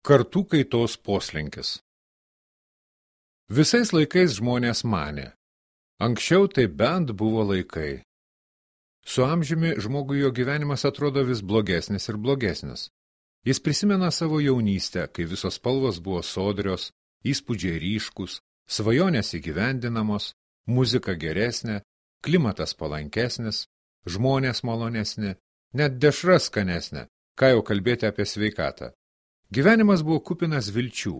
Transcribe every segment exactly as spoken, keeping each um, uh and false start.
Kartų kaitos poslinkis. Visais laikais žmonės manė, anksčiau tai bent buvo laikai. Su amžiumi žmogui jo gyvenimas atrodo vis blogesnis ir blogesnis. Jis prisimena savo jaunystę, kai visos spalvos buvo sodrios, įspūdžiai ryškus, svajonės įgyvendinamos, muzika geresnė, klimatas palankesnis, žmonės malonesni, net dešra skanesnė, ką jau kalbėti apie sveikatą. Gyvenimas buvo kupinas vilčių,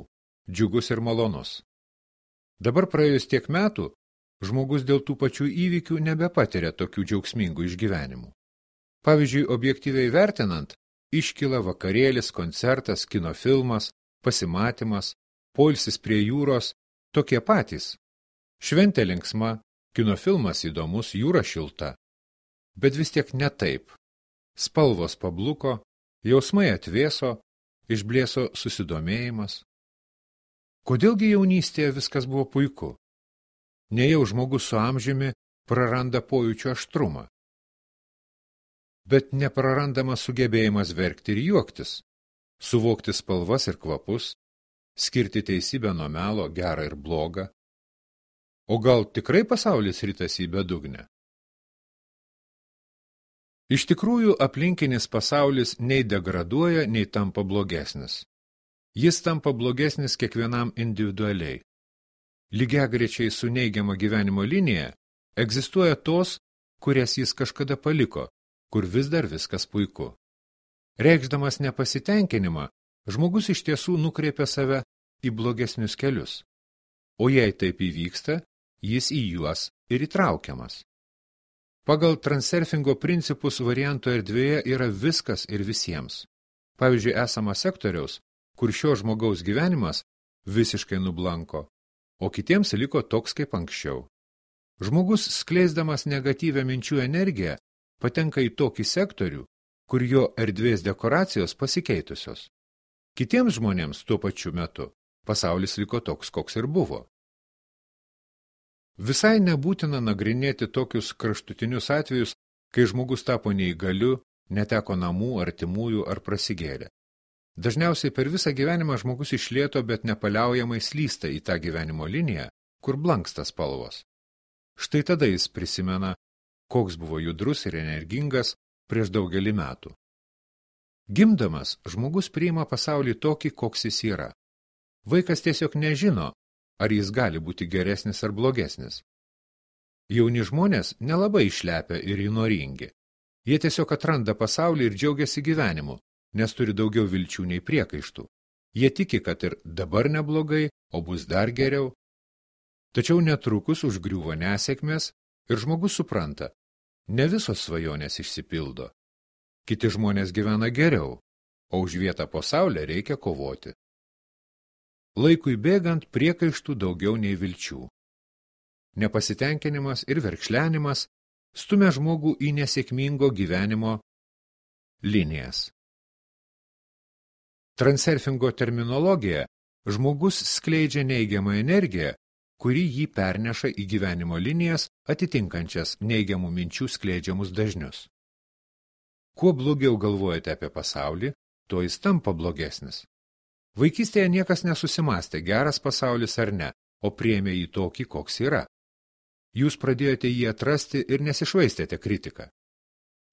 džiugus ir malonus. Dabar praėjus tiek metų, žmogus dėl tų pačių įvykių nebepatiria tokių džiaugsmingų išgyvenimų. Pavyzdžiui, objektyviai vertinant, iškyla vakarėlis, koncertas, kino filmas, pasimatymas, poilsis prie jūros, tokie patys. Šventė linksma, kino filmas įdomus, jūra šilta. Bet vis tiek ne taip. Spalvos pabluko, jausmai atvėso, išblėso susidomėjimas. Kodėlgi jaunystėje viskas buvo puiku? Nejau žmogus su amžiumi praranda pojūčio aštrumą. Bet neprarandamas sugebėjimas verkti ir juoktis, suvokti spalvas ir kvapus, skirti teisybę nuo melo, gerą ir blogą. O gal tikrai pasaulis ritasi į bedugnę? Iš tikrųjų, aplinkinis pasaulis nei degraduoja, nei tampa blogesnis. Jis tampa blogesnis kiekvienam individualiai. Lygiagrečiai su neigiama gyvenimo linija egzistuoja tos, kurias jis kažkada paliko, kur vis dar viskas puiku. Reikšdamas nepasitenkinimą, žmogus iš tiesų nukreipia save į blogesnius kelius. O jei taip įvyksta, jis į juos ir įtraukiamas. Pagal transurfingo principus varianto erdvėje yra viskas ir visiems. Pavyzdžiui, esama sektoriaus, kur šio žmogaus gyvenimas visiškai nublanko, o kitiems liko toks kaip anksčiau. Žmogus, skleisdamas negatyvią minčių energiją, patenka į tokį sektorių, kur jo erdvės dekoracijos pasikeitusios. Kitiems žmonėms tuo pačiu metu pasaulis liko toks, koks ir buvo. Visai nebūtina nagrinėti tokius kraštutinius atvejus, kai žmogus tapo neįgaliu, neteko namų, artimųjų ar prasigėrė. Dažniausiai per visą gyvenimą žmogus iš lėto, bet nepaliaujamai slysta į tą gyvenimo liniją, kur blanksta spalvos. Štai tada jis prisimena, koks buvo judrus ir energingas prieš daugelį metų. Gimdamas, žmogus priima pasaulį tokį, koks jis yra. Vaikas tiesiog nežino, ar jis gali būti geresnis ar blogesnis. Jauni žmonės nelabai išlepia ir įnoringi. Jie tiesiog atranda pasaulį ir džiaugiasi gyvenimu, nes turi daugiau vilčių nei priekaištų. Jie tiki, kad ir dabar neblogai, o bus dar geriau. Tačiau netrukus užgriūva nesėkmės ir žmogus supranta, ne visos svajonės išsipildo. Kiti žmonės gyvena geriau, o už vietą po saulę reikia kovoti. Laikui bėgant priekaištų daugiau nei vilčių. Nepasitenkinimas ir verkšlenimas stumia žmogų į nesėkmingo gyvenimo linijas. Transurfingo terminologija žmogus skleidžia neigiamą energiją, kuri jį perneša į gyvenimo linijas atitinkančias neigiamų minčių skleidžiamus dažnius. Kuo blogiau galvojate apie pasaulį, tuo jis tampa blogesnis. Vaikystėje niekas nesusimastė, geras pasaulis ar ne, o priėmė jį tokį, koks yra. Jūs pradėjote jį atrasti ir nesišvaistėte kritiką.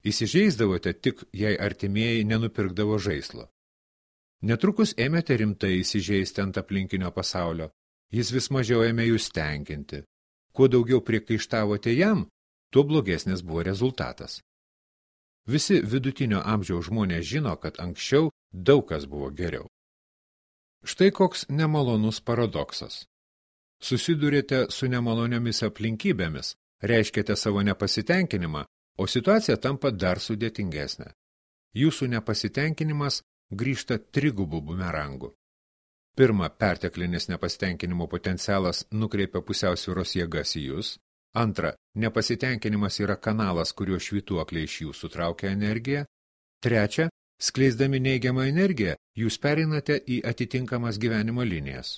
Įsižeisdavote tik, jei artimieji nenupirkdavo žaislo. Netrukus ėmėte rimtai įsižeisti ant aplinkinio pasaulio, jis vis mažiau ėmė jūs tenkinti. Kuo daugiau priekaištavote jam, tuo blogesnis buvo rezultatas. Visi vidutinio amžiaus žmonės žino, kad anksčiau daug kas buvo geriau. Štai koks nemalonus paradoksas. Susidurėte su nemaloniomis aplinkybėmis, reiškiate savo nepasitenkinimą, o situacija tampa dar sudėtingesnė. Jūsų nepasitenkinimas grįžta trigubų bumerangų. Pirma, perteklinis nepasitenkinimo potencialas nukreipia pusiausvyros jėgas į jūs. Antra, nepasitenkinimas yra kanalas, kuriuo švytuokliai iš jūsų traukia energiją. Trečia, skleisdami neigiamą energiją, jūs pereinate į atitinkamas gyvenimo linijas.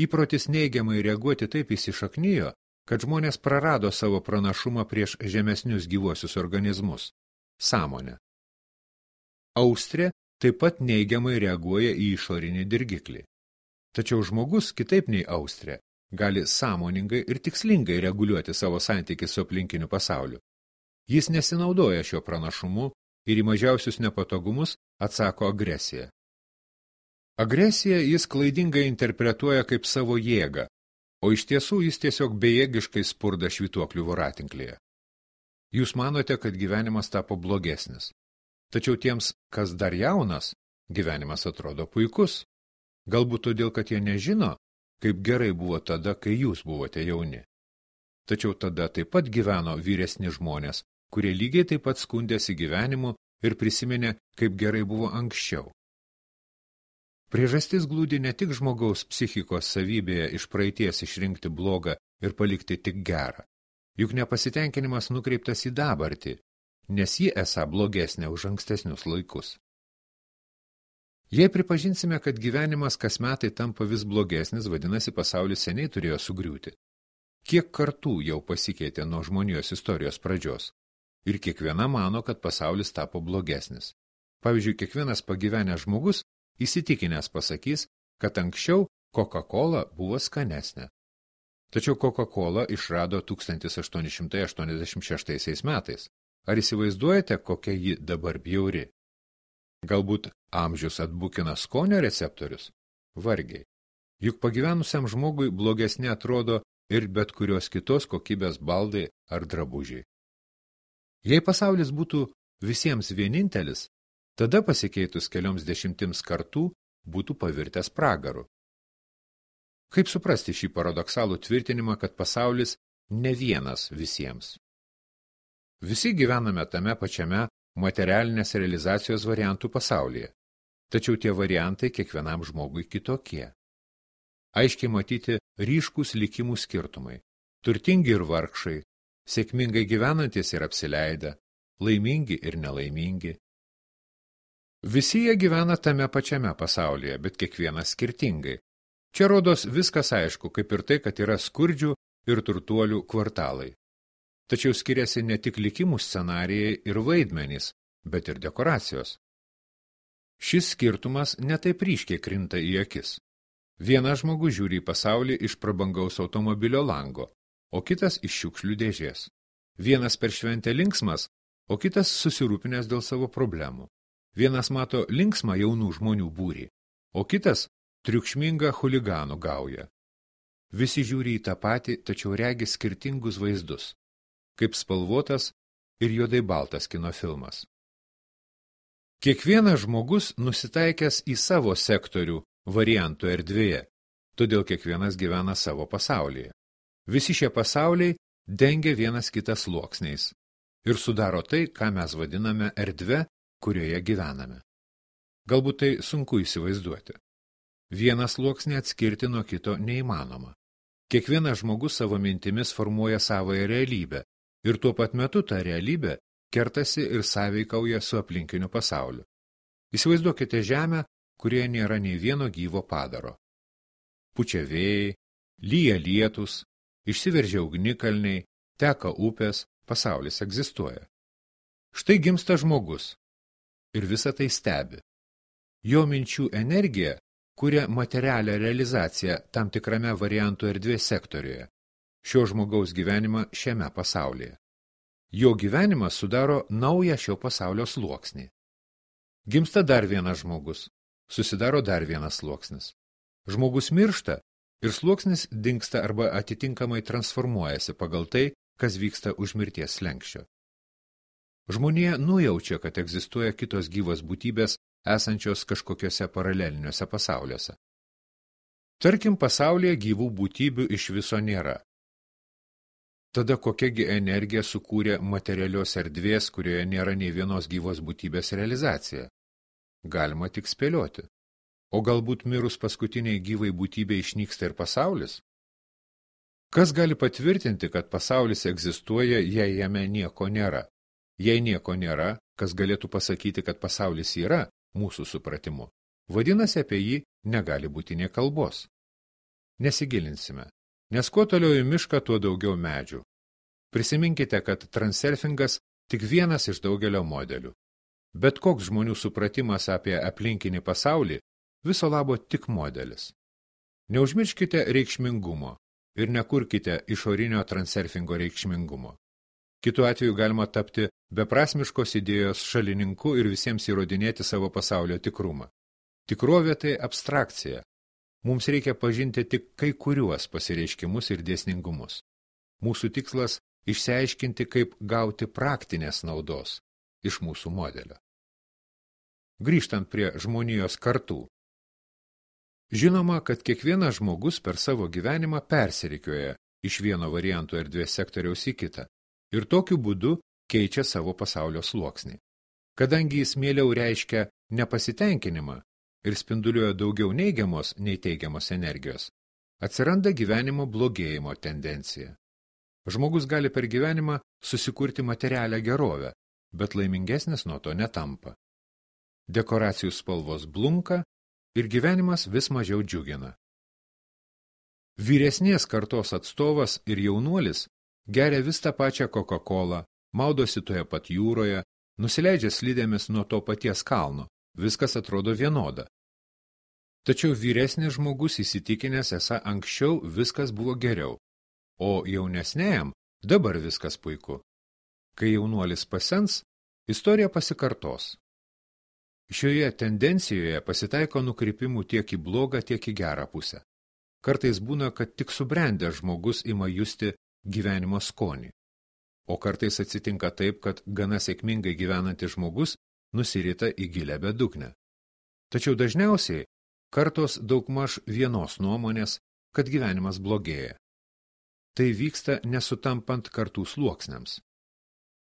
Įprotis neigiamai reaguoti taip įsišaknijo, kad žmonės prarado savo pranašumą prieš žemesnius gyvuosius organizmus – sąmonę. Austrė taip pat neigiamai reaguoja į išorinį dirgiklį. Tačiau žmogus, kitaip nei Austrė, gali sąmoningai ir tikslingai reguliuoti savo santykį su aplinkiniu pasauliu. Jis nesinaudoja šio pranašumu ir į mažiausius nepatogumus atsako agresiją. Agresiją jis klaidingai interpretuoja kaip savo jėgą, o iš tiesų jis tiesiog bejėgiškai spurda švytuoklių voratinklėje. Jūs manote, kad gyvenimas tapo blogesnis. Tačiau tiems, kas dar jaunas, gyvenimas atrodo puikus. Galbūt todėl, kad jie nežino, kaip gerai buvo tada, kai jūs buvote jauni. Tačiau tada taip pat gyveno vyresni žmonės, kurie lygiai taip pat skundėsi gyvenimu ir prisiminė, kaip gerai buvo anksčiau. Priežastis glūdi ne tik žmogaus psichikos savybėje iš praeities išrinkti blogą ir palikti tik gerą. Juk nepasitenkinimas nukreiptas į dabartį, nes ji esą blogesnė už ankstesnius laikus. Jei pripažinsime, kad gyvenimas kas metai tampa vis blogesnis, vadinasi, pasaulis seniai turėjo sugriūti. Kiek kartų jau pasikeitė nuo žmonijos istorijos pradžios? Ir kiekviena mano, kad pasaulis tapo blogesnis. Pavyzdžiui, kiekvienas pagyvenęs žmogus įsitikinęs pasakys, kad anksčiau Coca-Cola buvo skanesnė. Tačiau Coca-Cola išrado tūkstantis aštuoni šimtai aštuoniasdešimt šeštaisiais metais. Ar įsivaizduojate, kokia ji dabar bjauri? Galbūt amžius atbukina skonio receptorius? Vargiai. Juk pagyvenusiam žmogui blogesnė atrodo ir bet kurios kitos kokybės baldai ar drabužiai. Jei pasaulis būtų visiems vienintelis, tada pasikeitus kelioms dešimtims kartų būtų pavirtęs pragaru. Kaip suprasti šį paradoksalų tvirtinimą, kad pasaulis ne vienas visiems? Visi gyvename tame pačiame materialinės realizacijos variantų pasaulyje, tačiau tie variantai kiekvienam žmogui kitokie. Aiškiai matyti ryškūs likimų skirtumai, turtingi ir vargšai, sėkmingai gyvenantis ir apsileidę, laimingi ir nelaimingi. Visi jie gyvena tame pačiame pasaulyje, bet kiekvienas skirtingai. Čia rodos viskas aišku, kaip ir tai, kad yra skurdžių ir turtuolių kvartalai. Tačiau skiriasi ne tik likimų scenarijai ir vaidmenys, bet ir dekoracijos. Šis skirtumas netaip ryškiai krinta į akis. Vienas žmogus žiūri į pasaulį iš prabangaus automobilio lango, o kitas iš šiukšlių dėžės. Vienas per šventę linksmas, o kitas susirūpinęs dėl savo problemų. Vienas mato linksmą jaunų žmonių būrį, o kitas triukšmingą chuliganų gaują. Visi žiūri į tą patį, tačiau regi skirtingus vaizdus, kaip spalvotas ir juodai baltas kino filmas. Kiekvienas žmogus nusitaikęs į savo sektorių variantų erdvėje, todėl kiekvienas gyvena savo pasaulyje. Visi šie pasauliai dengia vienas kitas sluoksniais ir sudaro tai, ką mes vadiname erdve, kurioje gyvename. Galbūt tai sunku įsivaizduoti. Vieną sluoksnį atskirti nuo kito neįmanoma. Kiekvienas žmogus savo mintimis formuoja savąją realybę ir tuo pat metu ta realybė kertasi ir sąveikauja su aplinkiniu pasauliu. Įsivaizduokite žemę, kurioje nėra nei vieno gyvo padaro. Pučia vėjai, lyja lietus, išsiveržia ugnikalniai, teka upės, pasaulis egzistuoja. Štai gimsta žmogus ir visą tai stebi. Jo minčių energija kuria materialią realizaciją tam tikrame variantų erdvės sektoriuje, šio žmogaus gyvenimą šiame pasaulyje. Jo gyvenimas sudaro naują šio pasaulio sluoksnį. Gimsta dar vienas žmogus, susidaro dar vienas sluoksnis. Žmogus miršta ir sluoksnis dingsta arba atitinkamai transformuojasi pagal tai, kas vyksta už mirties slenksčio. Žmonija nujaučia, kad egzistuoja kitos gyvos būtybės esančios kažkokiuose paraleliniuose pasauliuose. Tarkim, pasaulyje gyvų būtybių iš viso nėra. Tada kokiagi energija sukūrė materialios erdvės, kurioje nėra nei vienos gyvos būtybės realizacija? Galima tik spėlioti. O galbūt mirus paskutiniai gyvai būtybė išnyksta ir pasaulis? Kas gali patvirtinti, kad pasaulis egzistuoja, jei jame nieko nėra? Jei nieko nėra, kas galėtų pasakyti, kad pasaulis yra, mūsų supratimu, vadinasi, apie jį negali būti nė kalbos. Nesigilinsime, nes kuo toliau į mišką, tuo daugiau medžių. Prisiminkite, kad transurfingas tik vienas iš daugelio modelių. Bet koks žmonių supratimas apie aplinkinį pasaulį viso labo tik modelis. Neužmirškite reikšmingumo ir nekurkite išorinio transurfingo reikšmingumo. Kitu atveju galima tapti beprasmiškos idėjos šalininku ir visiems įrodinėti savo pasaulio tikrumą. Tikrovė tai abstrakcija. Mums reikia pažinti tik kai kuriuos pasireiškimus ir dėsningumus. Mūsų tikslas – išsiaiškinti, kaip gauti praktinės naudos iš mūsų modelio. Grįžtant prie žmonijos kartų. Žinoma, kad kiekvienas žmogus per savo gyvenimą persirikioja iš vieno varianto erdvės sektoriaus į kitą ir tokiu būdu keičia savo pasaulio sluoksnį. Kadangi jis mieliau reiškia nepasitenkinimą ir spinduliuoja daugiau neigiamos nei teigiamos energijos, atsiranda gyvenimo blogėjimo tendencija. Žmogus gali per gyvenimą susikurti materialią gerovę, bet laimingesnis nuo to netampa. Dekoracijų spalvos blunka ir gyvenimas vis mažiau džiugina. Vyresnės kartos atstovas ir jaunuolis geria vis tą pačią Coca-Colą, maudosi toje pat jūroje, nusileidžia slidėmis nuo to paties kalno, viskas atrodo vienoda. Tačiau vyresnis žmogus įsitikinęs, esą anksčiau viskas buvo geriau, o jaunesnėjam dabar viskas puiku. Kai jaunuolis pasens, istorija pasikartos. Šioje tendencijoje pasitaiko nukrypimų tiek į blogą, tiek į gerą pusę. Kartais būna, kad tik subrendęs žmogus ima justi gyvenimo skonį. O kartais atsitinka taip, kad gana sėkmingai gyvenantis žmogus nusirita į gilę bedugnę. Tačiau dažniausiai kartos daugmaž vienos nuomonės, kad gyvenimas blogėja. Tai vyksta nesutampant kartų sluoksniams.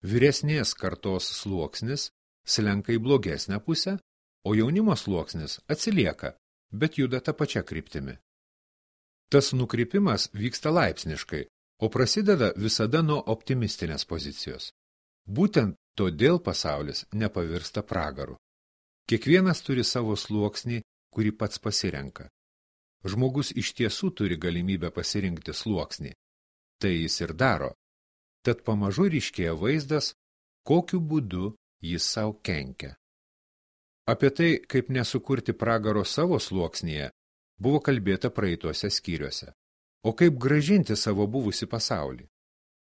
Vyresnės kartos sluoksnis slenka į blogesnę pusę, o jaunimo sluoksnis atsilieka, bet juda tą pačią kryptimi. Tas nukrypimas vyksta laipsniškai, o prasideda visada nuo optimistinės pozicijos. Būtent todėl pasaulis nepavirsta pragaru. Kiekvienas turi savo sluoksnį, kurį pats pasirenka. Žmogus iš tiesų turi galimybę pasirinkti sluoksnį. Tai jis ir daro. Tad pamažu ryškėja vaizdas, kokiu būdu jis savo kenkia. Apie tai, kaip nesukurti pragaro savo sluoksnyje, buvo kalbėta praeituose skyriuose. O kaip gražinti savo buvusį pasaulį?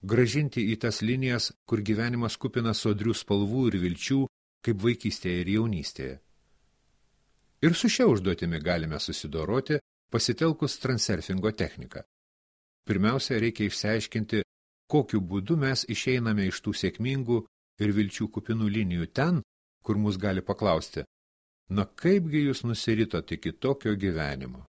Gražinti į tas linijas, kur gyvenimas kupina sodrių spalvų ir vilčių, kaip vaikystėje ir jaunystėje. Ir su šia užduotimi galime susidoroti, pasitelkus transurfingo techniką. Pirmiausia, reikia išsiaiškinti, kokiu būdu mes išeiname iš tų sėkmingų ir vilčių kupinų linijų ten, kur mus gali paklausti, na kaipgi jūs nusiritot iki tokio gyvenimo?